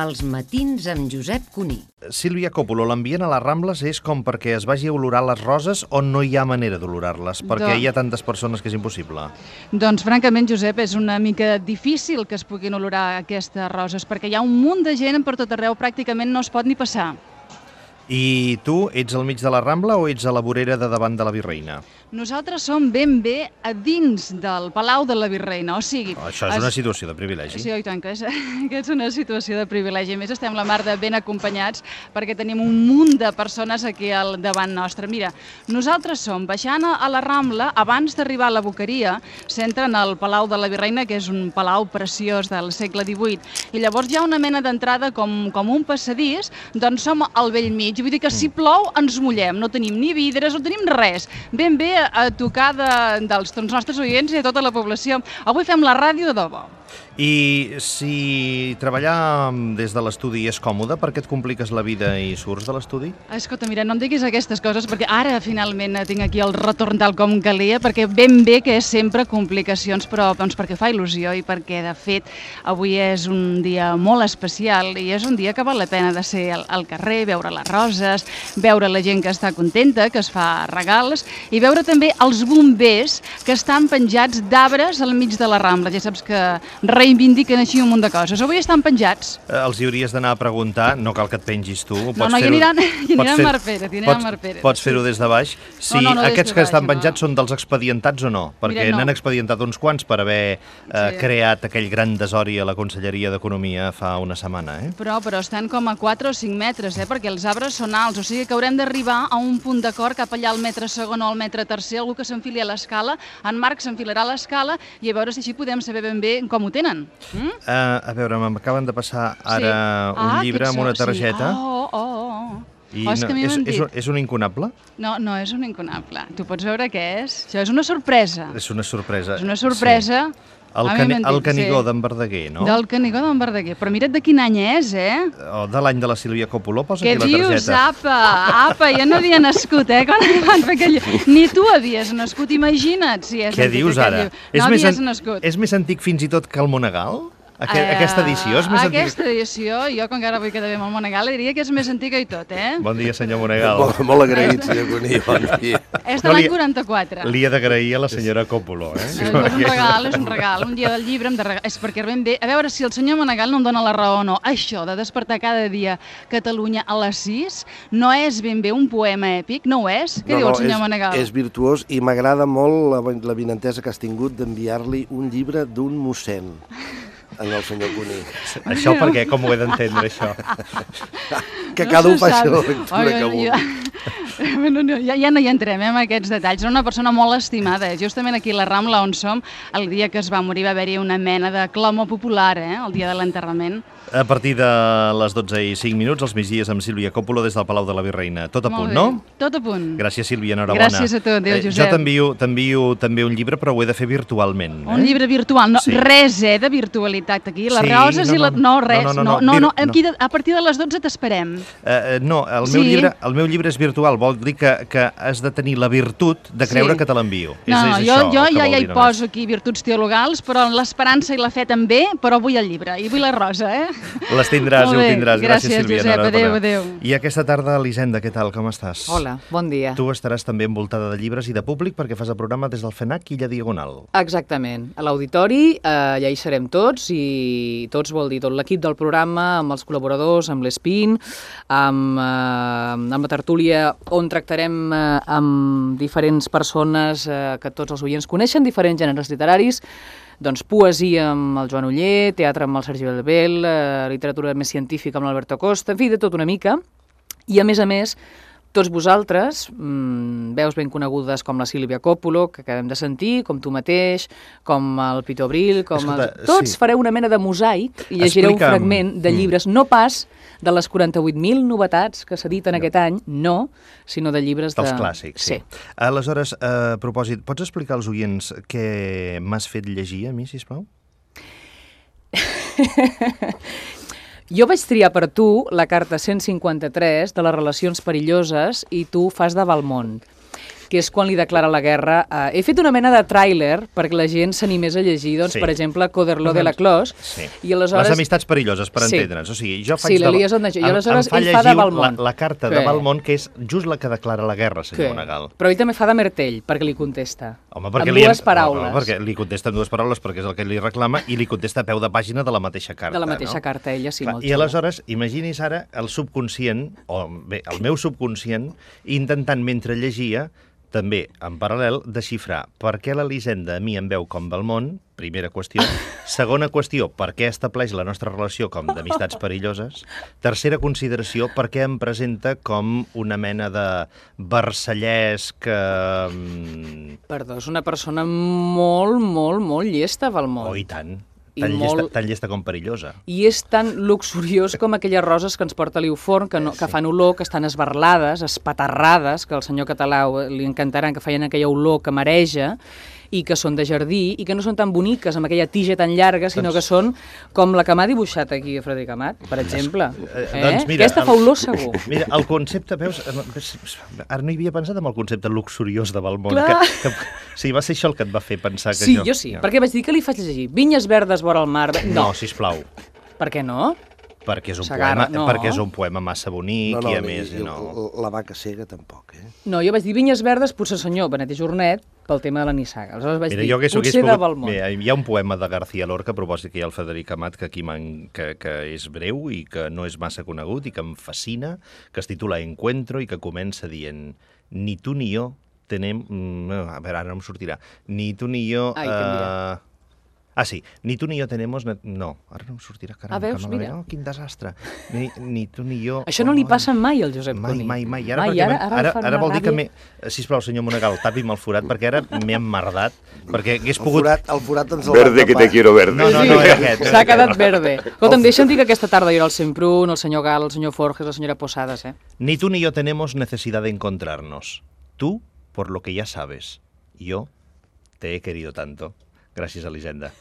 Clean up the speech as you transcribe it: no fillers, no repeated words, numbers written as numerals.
Els matins amb Josep Cuní. Sílvia Coppola, l'ambient a les Rambles és com perquè es vagi a olorar les roses o no hi ha manera d'olorar-les? Perquè hi ha tantes persones que és impossible. Doncs, francament, Josep, és una mica difícil que es puguin olorar aquestes roses, perquè hi ha un munt de gent per tot arreu, pràcticament no es pot ni passar. I tu ets al mig de la Rambla o ets a la vorera de davant de la Virreina? Nosaltres som ben bé a dins del Palau de la Virreina, o sigui... Això és una situació de privilegi. Sí, i tant que és una situació de privilegi. A més, estem la mar de ben acompanyats perquè tenim un munt de persones aquí al davant nostre. Mira, nosaltres som baixant a la Rambla, abans d'arribar a la Boqueria, s'entren al Palau de la Virreina, que és un palau preciós del segle XVIII, i llavors hi ha una mena d'entrada com un passadís, doncs som al vell mig. Vull dir que si plou ens mullem, no tenim ni vidres, no tenim res. Ben bé a tocar dels nostres oients i de tota la població. Avui fem la ràdio de debò. I si treballar des de l'estudi és còmode, per què et compliques la vida i surts de l'estudi? Escolta, mira, no em diguis aquestes coses perquè ara finalment tinc aquí el retorn tal com calia, perquè ben bé que és sempre complicacions, però doncs perquè fa il·lusió i perquè de fet avui és un dia molt especial i és un dia que val la pena de ser al carrer, veure les roses, veure la gent que està contenta, que es fa regals i veure també els bombers que estan penjats d'arbres al mig de la Rambla. Ja saps que reivindiquen així un munt de coses. Avui estan penjats. Els hi hauries d'anar a preguntar, no cal que et pengis tu. No, hi aniran Mar Pérez. Pots fer-ho des de baix. Si aquests que estan penjats són dels expedientats o no? Perquè n'han expedientat uns quants per haver creat aquell gran desori a la Conselleria d'Economia fa una setmana. Però estan com a 4 o 5 metres, perquè els arbres són alts, o sigui que haurem d'arribar a un punt d'acord cap allà al metre segon o al metre tercer, algú que s'enfili a l'escala, en Marc s'enfilarà a l'escala i a veure si així podem saber ben bé com ho tenen. A veure, m'acaben de passar ara un llibre amb una targeta. I és un incunable? No, no és un incunable. Tu pots veure què és? Això és una sorpresa. És una sorpresa. És una sorpresa. El Canigó d'en Verdaguer, no? Del Canigó d'en Verdaguer. Però mira't de quin any és, O de l'any de la Sílvia Coppola, posa aquí la targeta. Què dius, apa? Jo no havia nascut, quan van fer aquell... Ni tu havies nascut, imagina't si és... Què dius ara? No havies nascut. És més antic fins i tot que el Monegal? Aquesta edició és més antiga? Aquesta edició, jo com que ara vull quedar bé amb el Monegal, diria que és més antiga i tot, Bon dia, senyor Monegal. Molt agraït, senyor Cuní, bon dia. És de l'any 44. Li he d'agrair a la senyora Coppola, És un regal, un dia del llibre hem de regalar. És perquè ben bé, a veure si el senyor Monegal no em dona la raó o no. Això de despertar cada dia Catalunya a les 6 no és ben bé un poema èpic, no ho és? Què diu el senyor Monegal? És virtuós i m'agrada molt la vinentesa que has tingut d'enviar-li un llibre d'un mossèn en el senyor Cuní. Això per què? Com ho he d'entendre, això? Que cada un faci la lectura que vulgui. Ja no hi entrem, en aquests detalls. Era una persona molt estimada. Justament aquí a la Rambla on som, el dia que es va morir va haver-hi una mena de clamor popular, el dia de l'enterrament. A partir de les 12:05, els migdies amb Sílvia Coppola des del Palau de la Virreina. Tot a punt, no? Tot a punt. Gràcies, Sílvia, enhorabona. Gràcies a tu, adéu, Josep. Jo t'envio també un llibre, però ho he de fer virtualment. Un llibre virtual, res, de virtualitat aquí. Les roses i les... No, res, no. A partir de les 12 t'esperem. No, el meu llibre és virtual, vol dir que has de tenir la virtut de creure que te l'envio. No, jo ja hi poso aquí virtuts teologals, però l'esperança i la fe també, però vull el llibre i vull la rosa, Les tindràs i ho tindràs. Gràcies, Sílvia. Josep, adéu. I aquesta tarda, Elisenda, què tal? Com estàs? Hola, bon dia. Tu estaràs també envoltada de llibres i de públic perquè fas el programa des del FENAC Illa Diagonal. Exactament. A l'auditori ja hi serem tots i tots vol dir tot l'equip del programa, amb els col·laboradors, amb l'Espin, amb la tertúlia on tractarem amb diferents persones que tots els oients coneixen, diferents gèneres literaris, doncs poesia amb el Joan Oller, teatre amb el Sergi Belbel, literatura més científica amb l'Alberto Costa, en fi, de tot una mica. I a més, tots vosaltres, veus ben conegudes com la Sílvia Coppola, que acabem de sentir, com tu mateix, com el Pito Abril, tots fareu una mena de mosaic i llegireu un fragment de llibres, no pas de les 48.000 novetats que s'editen aquest any, no, sinó de llibres dels clàssics, sí. Aleshores, a propòsit, pots explicar als oients què m'has fet llegir a mi, sisplau? Jo vaig triar per tu la carta 153 de les relacions perilloses i tu fas de Valmont. que és quan li declara la guerra. He fet una mena de tràiler perquè la gent s'animés a llegir, doncs, per exemple, Coderlo de la Clos. I aleshores... Les amistats perilloses, per entendre'ns. O sigui, jo faig... Sí, l'Elies on deixa. I aleshores ell fa de Valmont. La carta de Valmont, que és just la que declara la guerra, senyor Monegal. Però ell també fa de Mertell, perquè li contesta. Home, amb dues paraules. Perquè li contesta amb dues paraules, perquè és el que li reclama, i li contesta a peu de pàgina de la mateixa carta. De la mateixa carta, ella sí, molt I aleshores, imagini's ara el subconscient, o bé, el meu subconscient, intentant, mentre llegia, també, en paral·lel, desxifrar per què l'Elisenda a mi em veu com Valmont, primera qüestió. Segona qüestió, per què estableix la nostra relació com d'amistats perilloses. Tercera consideració, per què em presenta com una mena de versallesc... Perdó, és una persona molt llesta, Valmont. Oh, i tant. Tan llesta com perillosa. I és tan luxuriós com aquelles roses que ens porta l'Iuforn, que fan olor, que estan esbarlades, espaterrades, que al senyor català li encantaran, que feien aquella olor que mareja, i que són de jardí, i que no són tan boniques, amb aquella tija tan llarga, sinó que són com la que m'ha dibuixat aquí a Frederic Amat, per exemple. Doncs mira, aquesta fa olor segur. Mira, el concepte, veus, ara no hi havia pensat en el concepte luxuriós de Valmont. Sí, va ser això el que et va fer pensar que sí, jo sí, perquè vaig dir que li faig llegir Vinyes verdes vora el mar... No, sisplau. Per què no? Perquè és un poema massa bonic i a més... La vaca cega tampoc, No, jo vaig dir Vinyes verdes, potser senyor Benet i Jornet, pel tema de la nissaga. Aleshores vaig dir, potser de Valmont. Hi ha un poema de García Lorca, a propòsit que hi ha el Frederic Amat, que aquí que és breu i que no és massa conegut i que em fascina, que es titula Encuentro i que comença dient ni tu ni jo tenem... A veure, ara no em sortirà. Ni tu ni jo... sí, ni tu ni jo tenemos... No, ara no em sortirà, caram. Veus, mira. Quin desastre. Ni tu ni jo... Això no li passa mai al Josep Cuní. Mai. Ara vol dir que sisplau, senyor Monegal, tapi'm el forat, perquè ara m'he emmerdat, perquè hagués pogut... El forat ens el Verde que te quiero verde. No, era aquest. S'ha quedat verde. Escolta'm, deixa'm dir que aquesta tarda hi era el Semprún, el senyor Gal, el senyor Forges, la senyora Posadas, Ni tú ni yo tenemos necesidad de encontrarnos. Tú, por lo que ya sabes. Yo te he querido tanto. Gràcies, Elisenda.